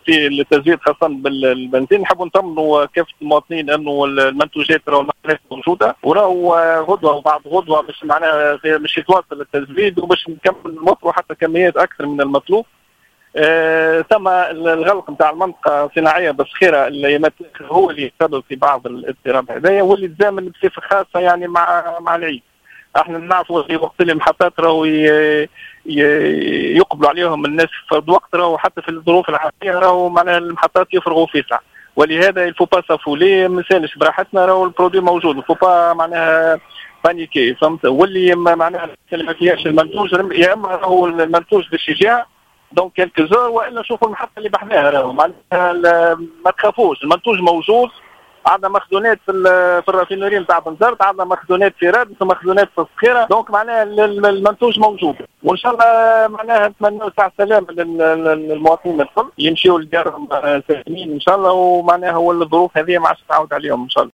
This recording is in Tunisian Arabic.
في التزويد خاصة بالبنزين. نحبوا نطمنوا كافة المواطنين انه المنتوجات راهو موجوده، وراهو غدوه وبعد غدوه باش معناها باش يتواصل التزويد وباش نكمل نوفروا حتى كميات اكثر من المطلوب. ثم الغلق نتاع المنطقة الصناعية بالصخيره الايامات هو اللي سبب في بعض الاضطراب هذايا، واللي تزامن بصفة خاصة يعني مع العيد. احنا نعرفوا في وقت اللي المحطات راهو يقبلوا عليهم الناس في الوقت، راهو حتى في الظروف العادية راهو معناها المحطات يفرغوا فيسع، ولهذا il faut pas s'affoler، ما نسالش براحتنا، راهو ال produit موجود، il faut pas معناها paniquer، فهمت؟ واللي معناها اللي ما فيهاش المنتوج، يا اما راهو المنتوج باش يجيها dans quelques heures، والا شوفوا المحطة اللي بحذاها. راهو معناها ما تخافوش، المنتوج موجود. عندنا مخزونات في ال raffinerie نتاع بنزرت، عندنا مخزونات في رادس ومخزونات في الصخيره، donc معناها المنتوج موجود، وان شاء الله معناها نتمنى ساعة سلام للمواطنين الكل، يمشيوا لديارهم سالمين ان شاء الله، ومعناها هو الظروف هذه ما عادش تعاود عليهم ان شاء الله.